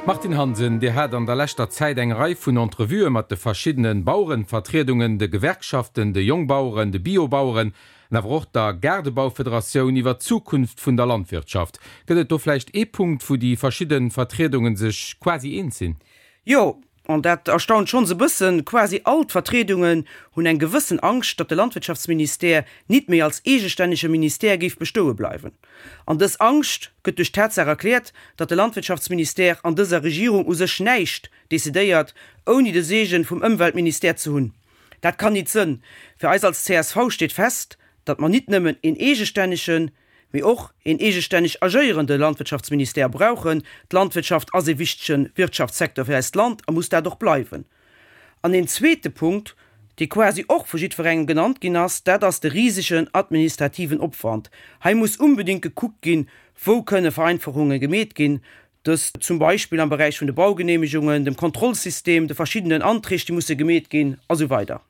Martine Hansen, Dir hat an der leschter Zäit eng Rei vun Entrevuë mat de verschiddene Bauerenvertriedungen, de Gewerkschaften, de Jongbaueren, de Biobaueren an awer och der Gaardebaufederatioun iwwer d'Zukunft vun der Landwirtschaft. Gëtt et do vläicht ee Punkt, wou déi verschidde Vertriedunge sech quasi eens sinn? Jo, an dat erstaunt schonns e bëssen, quasi all d'Vertriedungen hunn eng gewëssen Angscht, datt de Landwirtschaftsministère nit méi als eegestännege Ministère géif bestoe bleiwen. An dës Angscht gëtt duerch d'Tatsaach erkläert, datt de Landwirtschaftsministère an dëser Regierung u sech näischt decidéiert, ouni de Seegen vum Ëmweltministère ze hunn. Dat kann nit sënn. Fir eis als csv steet fest, datt mer nit nëmmen een eegestännegen, mee och een eegestänneg agéierende Landwirtschaftsministère brauchen. D'Landwirtschaft ass ee wichtege Wirtschaftssecteur fir eist Land a muss dat och bleiwen. An een zweete Punkt, dee quasi och vu jiddwerengem genannt ginn ass, dat ass de risegen administrativen Opwand. Hei muss unbedéngt gekuckt ginn, wou kënne Vereinfachunge gemeet ginn, dëst zum Beispill am Beräich vun de Baugenehmegungen, dem Kontrollsystem, de verschiddenen Anträg, déi musse gemeet ginn, a sou weider.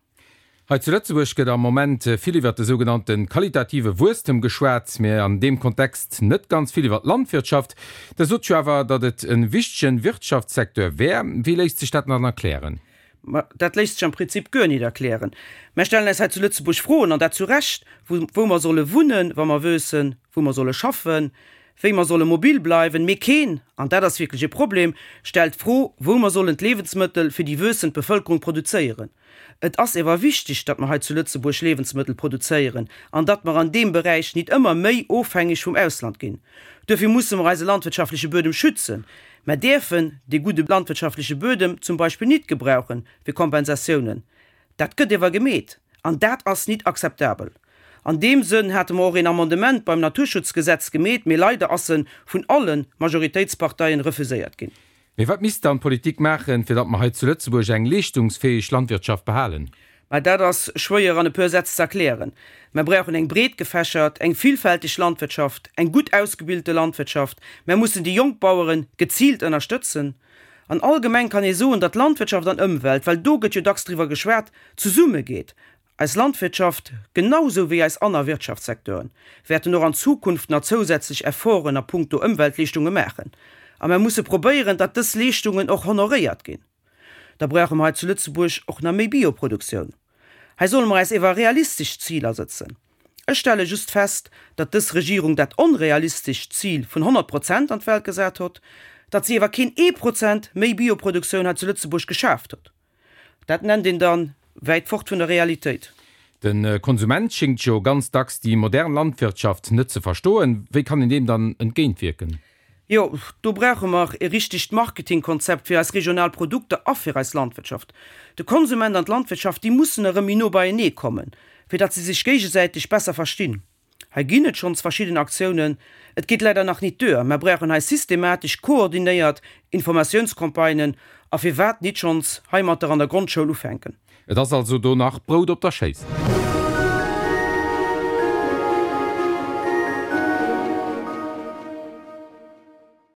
Hei zu Lëtzebuerg gëtt am Moment vill iwwert de sougenannte qualitative Wuesstem geschwat, mä an deem Kontext net ganz vill iwwer d'Landwirtschaft. Der sot jo awer, datt et e wichtegen Wirtschaftssecteur wär. Wéi léisst sech dat dann erklären? Ma dat léisst sech am Prinzip guer nit erklären. Mär stellen äis hei zu Lëtzebuerg Froen, an dat zu Recht, wou wou mer solle wunnen, wa mer wëssen, wou mer solle schaffen, wéi mer solle mobil bleiwen. Mee keen, an dat ass wierklech e Problem, stellt d'Fro, wou mer sollen d'Liewensmëttel fir déi wuessend Bevëlkerung produzéieren. Et ass ewer wichteg, datt mer hei zu Lëtzebuerg Liewensmëttel produzéieren an datt mer an deem Beräich nit ëmmer méi ofhängeg vum Ausland ginn. Duerfir musse mer eise landwirtschaftleche Buedem schützen. Mer däerfen dee gudde landwirtschaftleche Buedem zum Beispill nit gebrauche fir Kompensatiounen. Dat gëtt ewer gemeet an dat ass nit akzeptabel. An deem Sënn hate mer och een Amendement beim Naturschutzgesetz gemeet, mee leider ass en vun alle Majoritéitsparteien refuséiert ginn. Mee wat misst dann d'Politik maachen, fir datt mer hei zu Lëtzebuerg eng leeschtungsfäeg Landwirtschaft behalen? Mä dat ass schwéier an e puer Sätz ze erklären. Mer brauchen eng breetgefächert, eng villfälteg Landwirtschaft, eng gutt ausgebilte Landwirtschaft. Mer mussen déi jonk Bauere geziilt ënnerstëtzen. An allgemeng kann ee soen, datt Landwirtschaft an Ëmwelt, well do gëtt jo dacks driwwer geschwat, zesummegeet. Eis Landwirtschaft, genau sou wéi eis anner Wirtschaftssecteuren, wäerten och an Zukunft nach zousätzlech Efforten a puncto Ëmweltleeschtunge maachen. A mer musse probéieren, datt dës Leeschtungen och honoréiert ginn. Da brauche mer hei zu Lëtzebuerg och nach méi Bioproduktioun. Hei solle mer eis ewer realistesch Ziler sëtzen. Ech stelle just fest, datt dës Regierung dat onrealistescht Zil vun 100 Prozent an d'Welt gesat hott, datt si ewer keen ee Prozent méi Bioproduktioun hei zu Lëtzebuerg geschaaft hott. Dat nennt een dann wäit fort vun der Realitéit. De Konsument schéngt jo ganz dacks déi modern Landwirtschaft net ze verstoen. Wéi kann een deem dann entgéintwierken? Jo, do brauche mer e richtegt Marketingkonzept fir eis regional Produkter a fir eis Landwirtschaft. De Konsument an d'Landwirtschaft, déi mussen erëm méi no beienee kommen, fir datt se sech géigesäiteg besser verstinn. Hei ginn et schonns verschidden Aktiounen. Et geet leider nach nit duer. Mer brauchen hei systematesch, koordinéiert Informatiounscampagnen a firwat nit schonns heimatter an der Grondschoul ufänken. Et ass also do nach Brout op der Schéiss.